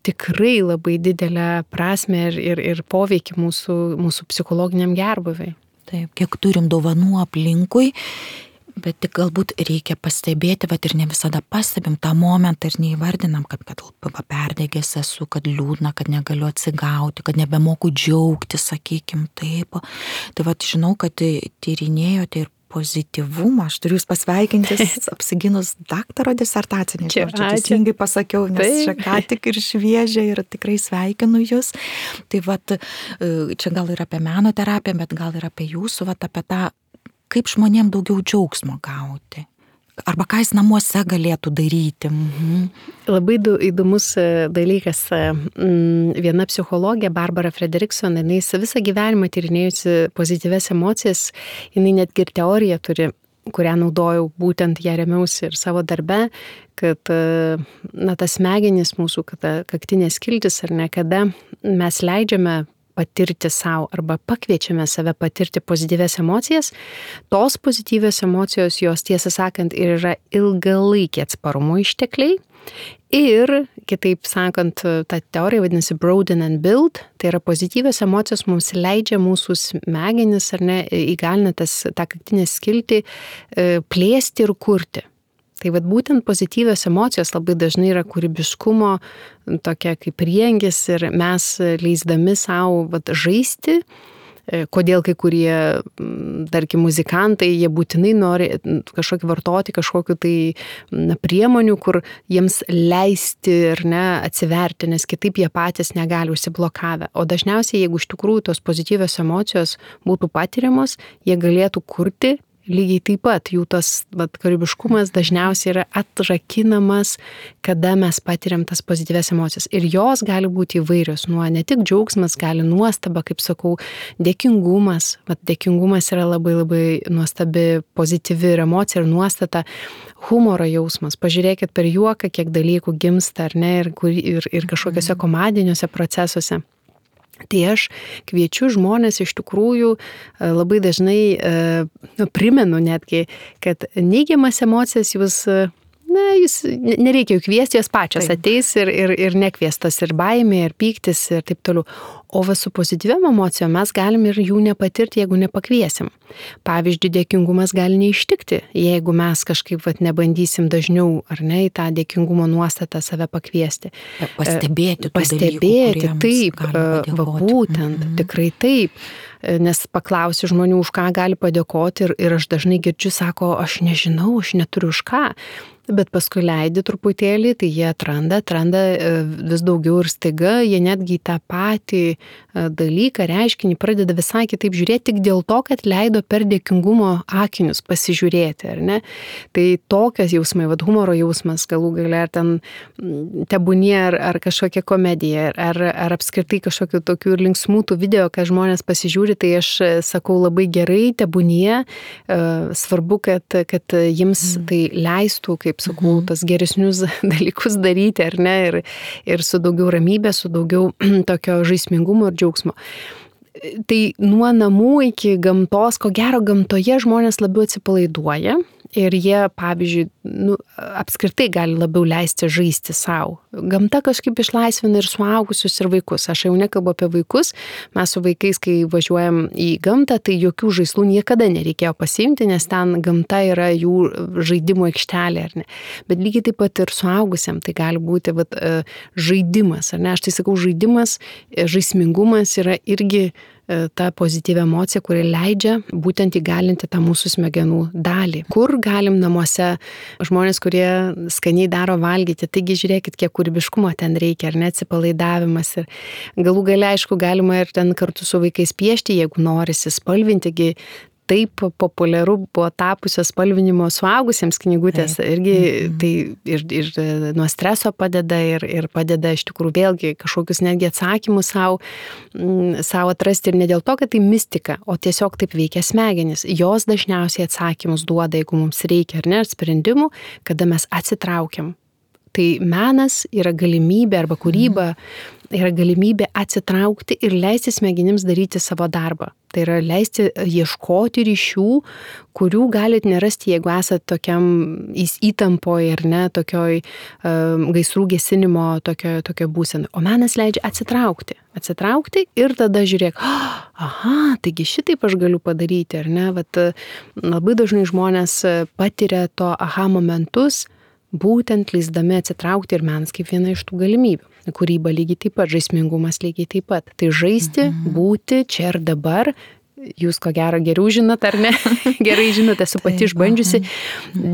tikrai labai didelę prasmę ir, ir, ir poveikį mūsų, mūsų psichologiniam gerbūviui. Taip, kiek turim dovanų aplinkui, bet tik galbūt reikia pastebėti, bet ir ne visada pastebim tą momentą ir neįvardinam, kad, kad perdegęs esu, kad liūdna, kad negaliu atsigauti, kad nebemoku džiaugti, sakykim, taip. Tai vat žinau, kad tyrinėjote ir pozityvumą, aš turiu jūs pasveikinti, apsiginus daktaro disertacinį. Čia teisingai pasakiau, nes čia ką tik ir šviežia ir tikrai sveikinu jūs. Tai vat, čia gal ir apie meno terapiją, bet gal ir apie jūsų, vat apie tą, kaip žmonėm daugiau džiaugsmo gauti. Arba ką jis namuose galėtų daryti. Mhm. Labai įdomus dalykas. Viena psichologė, Barbara Fredrickson, jinai visą gyvenimą tyrinėjusi pozityvias emocijas, jinai netgi ir teoriją turi, kurią naudojau, būtent ją remiausi ir savo darbe, kad na, tas smegenys mūsų, kad kaktinės skiltis ar ne, kada mes leidžiame patirti savo arba pakviečiame save patirti pozityvias emocijas, tos pozityvios emocijos, jos tiesą sakant ir yra ilgalaikiai atsparumo ištekliai ir, kitaip sakant, ta teorija vadinasi broaden and build, tai yra pozityvios emocijos mums leidžia mūsų smegenis ar ne, įgalina tas, tą kaktinę skiltį plėsti ir kurti. Tai vat būtent pozityvios emocijos labai dažnai yra kūrybiškumo tokia kaip priengis ir mes leisdami savo vat žaisti, kodėl kai kurie, tarkim, muzikantai, jie būtinai nori kažkokį vartoti, kažkokiu tai na, priemonių, kur jiems leisti ir ne atsiverti, nes kitaip jie patys negali užsiblokavę. O dažniausiai, jeigu iš tikrųjų tos pozityvios emocijos būtų patiriamos, jie galėtų kurti lygiai taip pat jų tas vat, kūrybiškumas dažniausiai yra atrakinamas, kada mes patiriam tas pozityvias emocijas. Ir jos gali būti įvairios, nuo ne tik džiaugsmas, gali nuostaba, kaip sakau, dėkingumas. Vat dėkingumas yra labai labai nuostabi, pozityvi ir emocija ir nuostata. Humoro jausmas. Pažiūrėkit per juoką, kiek dalykų gimsta, ar ne, ir, ir, ir kažkokiuose komandiniuose procesuose. Tai aš kviečiu žmonės iš tikrųjų labai dažnai nu, primenu netgi, kad neigiamas emocijas jūs, na, jūs nereikia jų kviesti, jos pačios taip. Ateis ir, ir, ir nekviestos ir baimė, ir pyktis ir taip toliau. O va su pozityviam emocijom mes galim ir jų nepatirti, jeigu nepakviesim. Pavyzdžiui, dėkingumas gali neištikti, jeigu mes kažkaip vat, nebandysim dažniau, ar ne, į tą dėkingumo nuostatą save pakviesti. Pastebėti, Pastebėti, dalykų, taip, va, būtent, mm-hmm. tikrai taip. Nes paklausiu žmonių, už ką gali padėkoti ir, ir aš dažnai girdžiu, sako, aš nežinau, aš neturiu už ką. Bet paskui leidi truputėlį, tai jie atranda, atranda vis daugiau ir staiga, jie netgi tą patį dalyką, reiškinį pradeda visai kitaip žiūrėti tik dėl to, kad leido per dėkingumo akinius pasižiūrėti, ar ne? Tai tokias jausmai, vad humoro jausmas galų gale, ar ten tebūnie, ar, ar kažkokia komedija, ar, ar apskritai kažkokių tokių ir linksmų tų video, kad žmonės pasižiūri, tai aš sakau labai gerai, tebūnie, svarbu, kad, kad jiems tai leistų, kaip sakau, tas geresnius dalykus daryti, ar ne, ir, ir su daugiau ramybės, su daugiau tokio žaismingumo ir džiaugsmo. Tai nuo namų iki gamtos, ko gero gamtoje žmonės labiau atsipalaiduoja ir jie, pavyzdžiui, nu, apskritai gali labiau leisti žaisti savo. Gamta kažkaip išlaisvina ir suaugusius, ir vaikus. Aš jau nekalbu apie vaikus, mes su vaikais, kai važiuojam į gamtą, tai jokių žaislų niekada nereikėjo pasiimti, nes ten gamta yra jų žaidimo aikštelė, ar ne. Bet lygiai taip pat ir suaugusiam tai gali būti vat, žaidimas, ar ne. Aš tai sakau, žaidimas, žaismingumas yra irgi ta pozityvia emocija, kuri leidžia būtent įgalinti tą mūsų smegenų dalį. Kur galim namuose žmonės, kurie skaniai daro valgyti, taigi žiūrėkit, kiek kūrybiškumo ten reikia, ar ne, atsipalaidavimas. Ir galų gale, aišku, galima ir ten kartu su vaikais piešti, jeigu norisi spalvinti, taip populiaru buvo tapusios spalvinimo suaugusiems knygutės. Irgi tai ir, ir nuo streso padeda ir, ir padeda iš tikrųjų vėlgi kažkokius netgi atsakymus savo, savo atrasti ir ne dėl to, kad tai mistika, o tiesiog taip veikia smegenys. Jos dažniausiai atsakymus duoda, jeigu mums reikia ar ne, sprendimų, kada mes atsitraukiam. Tai menas yra galimybė arba kūryba yra galimybė atsitraukti ir leisti smegenims daryti savo darbą. Tai yra leisti ieškoti ryšių, kurių galit nerasti, jeigu esate tokiam įtampoje ar ne, tokioj um, gaisrų gesinimo tokio, tokio būsenai. O menas leidžia atsitraukti. Atsitraukti ir tada žiūrėk, aha, taigi šitaip aš galiu padaryti, ar ne? Vat, labai dažnai žmonės patiria to aha momentus, būtent leisdami atsitraukti ir menas kaip viena iš tų galimybių. Kūryba lygiai taip pat, žaismingumas lygiai taip pat. Tai žaisti, mhm. būti čia ir dabar, jūs ko gero geriau žinot, ar ne? Gerai žinot, esu pati išbandžiusi,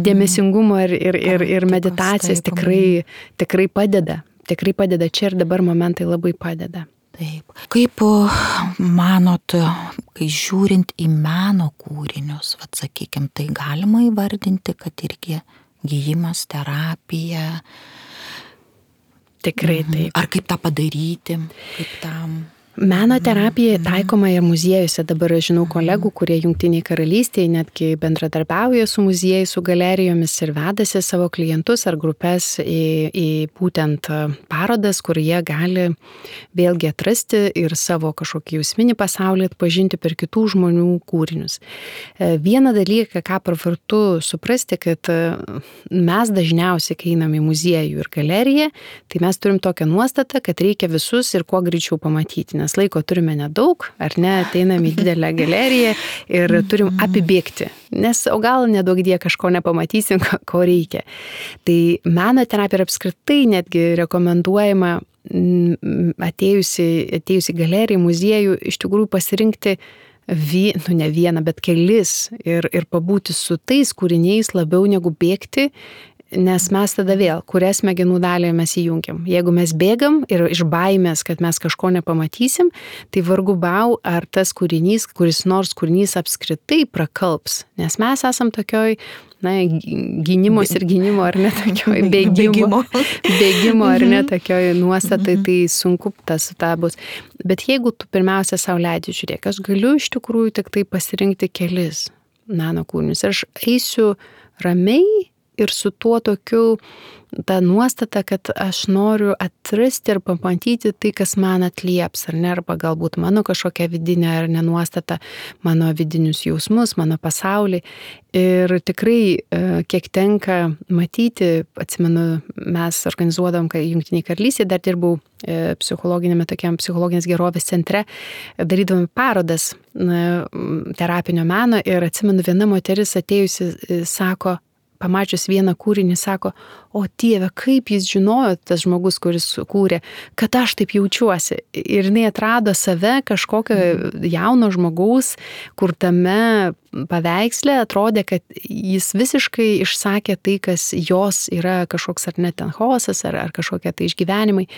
dėmesingumo ir, ir, ir, ir meditacijas tikrai, tikrai padeda. Tikrai padeda, čia ir dabar momentai labai padeda. Taip. Kaip manot, kai žiūrint į meno kūrinius, vat, sakykime, tai galima įvardinti, kad irgi gyjimas, terapija. Tikrai taip. Ar kaip tą padaryti, kaip tam... Meno terapija taikoma ir muziejuose. Dabar aš žinau kolegų, kurie Jungtinėje karalystėje netgi bendradarbiauja su muziejais, su galerijomis ir vedasi savo klientus ar grupės į, į būtent parodas, kur jie gali vėlgi atrasti ir savo kažkokį jausminį pasaulį atpažinti per kitų žmonių kūrinius. Vieną dalyką, ką pravartu suprasti, kad mes dažniausiai, kai einam į muziejų ir galeriją, tai mes turim tokią nuostatą, kad reikia visus ir kuo greičiau pamatyti. Nes laiko turime nedaug, ar ne, ateinam į didelę galeriją ir turim apibėgti, nes o gal nedaug die kažko nepamatysim, ko reikia. Tai meno terapija apskritai netgi rekomenduojama atėjusi, atėjusi galeriją, muziejų, iš tikrųjų pasirinkti vie, nu ne vieną, bet kelis ir, ir pabūti su tais kūriniais labiau negu bėgti Nes mes tada vėl, kurią smegenų dalį mes įjungiam. Jeigu mes bėgam ir iš baimės, kad mes kažko nepamatysim, tai vargu bau, ar tas kūrinys, kuris nors kūrinys apskritai prakalps. Nes mes esam tokioj, na, gynimos ir gynimo, ar ne tokioj bėgimo, bėgimo ar ne tokioj nuostatai, tai sunku tas tą bus. Bet jeigu tu pirmiausia sau leidži, žiūrėk, aš galiu iš tikrųjų tik tai pasirinkti kelis meno kūrinius. Ir aš eisiu ramiai ir su tuo tokiu, ta nuostata, kad aš noriu atrasti ir pamatyti tai, kas man atlieps, ar ne, arba galbūt mano kažkokia vidinė ar nenuostata, mano vidinius jausmus, mano pasaulį. Ir tikrai, kiek tenka matyti, atsimenu, mes organizuodam, kai Jungtinėje karalystėje dar dirbau psichologinėme tokiam psichologinės gerovės centre, darydavome parodas terapinio meno ir atsimenu, viena moteris atėjusi sako, pamačius vieną kūrinį, sako, o Dieve, kaip jis žinojo, tas žmogus, kuris kūrė, kad aš taip jaučiuosi. Ir jinai atrado save kažkokio jauno žmogaus, kur tame paveiksle atrodė, kad jis visiškai išsakė tai, kas jos yra kažkoks ar net ten chaosas, ar, ar kažkokie tai išgyvenimai.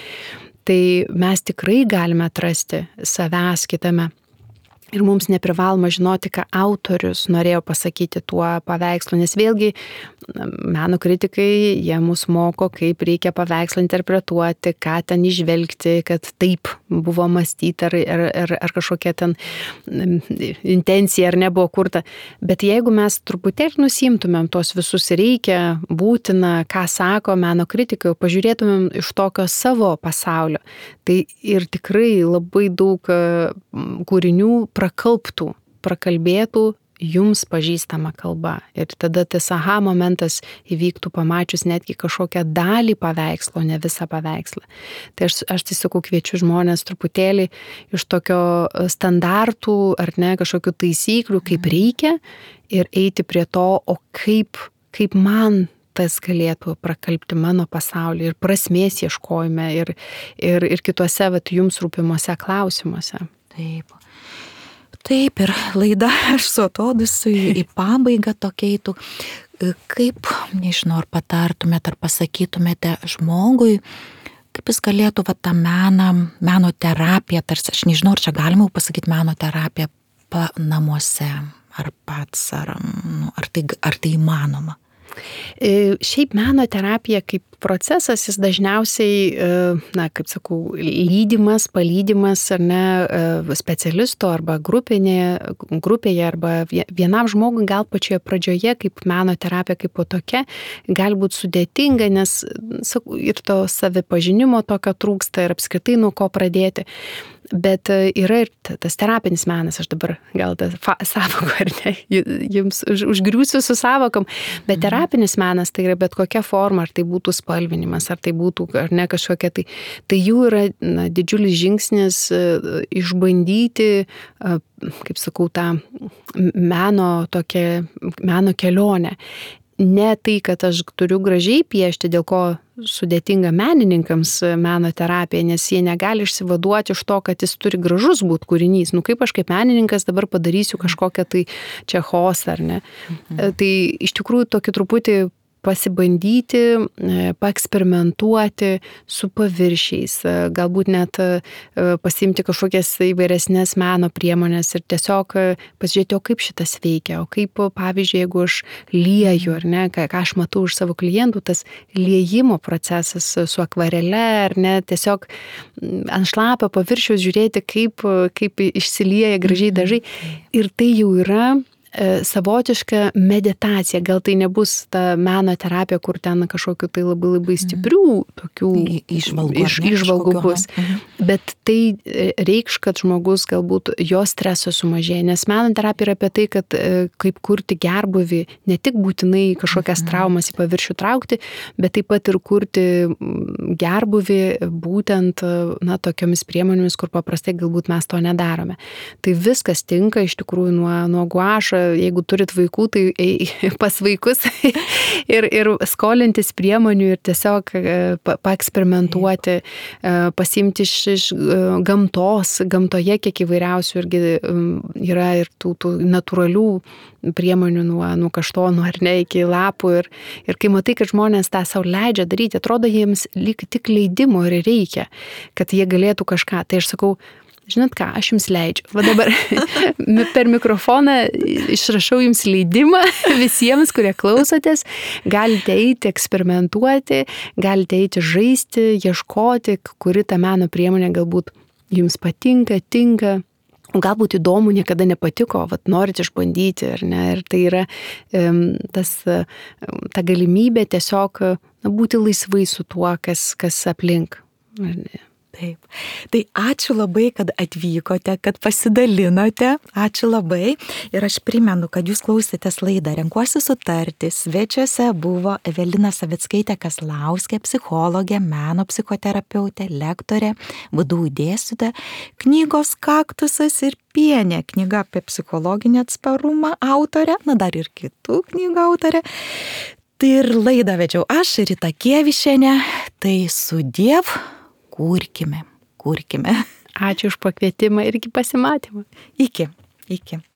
Tai mes tikrai galime atrasti savęs kitame. Ir mums neprivaloma žinoti, ką autorius norėjo pasakyti tuo paveikslu, nes vėlgi meno kritikai, jie mus moko, kaip reikia paveikslą interpretuoti, ką ten išvelgti, kad taip buvo mąstyti, ar, ar, ar, ar kažkokia ten intencija, ar nebuvo kurta. Bet jeigu mes truputėlį nusimtumėm tos visus reikia, būtina, ką sako meno kritikai, pažiūrėtumėm iš tokio savo pasaulio, tai ir tikrai labai daug kūrinių prakalbtų, prakalbėtų jums pažįstama kalba. Ir tada tas aha momentas įvyktų pamačius netgi kažkokią dalį paveikslo, ne visą paveikslą. Tai aš, aš tiesiog kviečiu žmonės truputėlį iš tokio standartų ar ne kažkokių taisyklių, kaip reikia, ir eiti prie to, o kaip, kaip man tas galėtų prakalbti mano pasaulį ir prasmės ieškojime ir, ir, ir kituose vat, jums rūpimuose klausimuose. Taip. Taip, ir laida aš su atodusiu į pabaigą tokia eitų. Kaip, nežinau, ar patartumėte, ar pasakytumėte žmogui, kaip jis galėtų va, tą meną, meno terapiją, tarsi, aš nežinau, ar čia galima pasakyti meno terapiją pa namuose, ar pats, ar, nu, ar, tai, ar tai įmanoma? Šiaip meno terapija kaip procesas, jis dažniausiai, na, kaip sakau, lydimas, palydimas ar ne specialisto arba grupinė, grupėje arba vienam žmogui gal pačioje pradžioje kaip meno terapija kaip po tokia gali būti sudėtinga, nes sakau, ir to savipažinimo tokio trūksta ir apskritai nuo ko pradėti. Bet yra ir tas terapinis menas, aš dabar gal tą savoką, ar ne, jums už, užgriūsiu su savokom, bet terapinis menas tai yra bet kokia forma, ar tai būtų spalvinimas, ar tai būtų, ar ne kažkokia, tai, tai jų yra na, didžiulis žingsnis išbandyti, kaip sakau, tą meno, tokią, meno kelionę. Ne tai, kad aš turiu gražiai piešti, dėl ko sudėtinga menininkams meno terapija, nes jie negali išsivaduoti iš to, kad jis turi gražus būti kūrinys. Nu kaip aš kaip menininkas dabar padarysiu kažkokią tai čia chaosą, ar ne? Mhm. Tai iš tikrųjų tokį truputį pasibandyti, paeksperimentuoti su paviršiais, galbūt net pasiimti kažkokias įvairesnės meno priemonės ir tiesiog pasižiūrėti, o kaip šitas veikia, o kaip, pavyzdžiui, jeigu aš lieju, ar ne, ką, ką aš matau iš savo klientų, tas liejimo procesas su akvarele, ar ne, tiesiog ant šlapio paviršiaus žiūrėti, kaip, kaip išsilieja gražiai dažai. Ir tai jau yra savotiška meditacija, gal tai nebus ta meno terapija, kur ten kažkokiu tai labai labai stiprių tokių išvalgų, iš, išvalgų bus. Bet tai reikš, kad žmogus galbūt jo streso sumažėja, nes meno terapija yra apie tai, kad kaip kurti gerbūvį, ne tik būtinai kažkokias traumas į paviršių traukti, bet taip pat ir kurti gerbūvį būtent na, tokiomis priemonėmis, kur paprastai galbūt mes to nedarome. Tai viskas tinka iš tikrųjų nuo, nuo guašo. Jeigu turit vaikų, tai pas vaikus ir, ir skolintis priemonių ir tiesiog paeksperimentuoti, pasiimti iš iš gamtos, gamtoje kiek įvairiausių irgi yra ir tų, tų natūralių priemonių nuo, nuo kaštonų ar ne iki lapų ir, ir kai matai, kad žmonės tą savo leidžia daryti, atrodo jiems lyg tik leidimo ir reikia, kad jie galėtų kažką. Tai aš sakau, žinot ką, aš jums leidžiu. Va dabar per mikrofoną išrašau jums leidimą visiems, kurie klausotės. Galite eiti, eksperimentuoti, galite eiti žaisti, ieškoti, kuri ta meno priemonė galbūt jums patinka, tinka. Galbūt įdomu, niekada nepatiko, vat norit išbandyti, ar ne? Ir tai yra tas, ta galimybė tiesiog na, būti laisvai su tuo, kas, kas aplink. Ar ne? Taip. Tai ačiū labai, kad atvykote, kad pasidalinote. Ačiū labai. Ir aš primenu, kad jūs klausėtės laidą Renkuosi sutarti. Svečiuose buvo Evelina Savickaitė Kaslauskė, psichologė, meno psichoterapeutė, lektorė, V D U dėstytoja, knygos Kaktusas ir pienė, knyga apie psichologinį atsparumą autorė, na dar ir kitų knygų autorė. Tai ir laidą vedžiau aš, Rita Kievišienė. Tai sudiev. Kurkime, kurkime. Ačiū už pakvietimą ir iki pasimatymo. Iki, iki.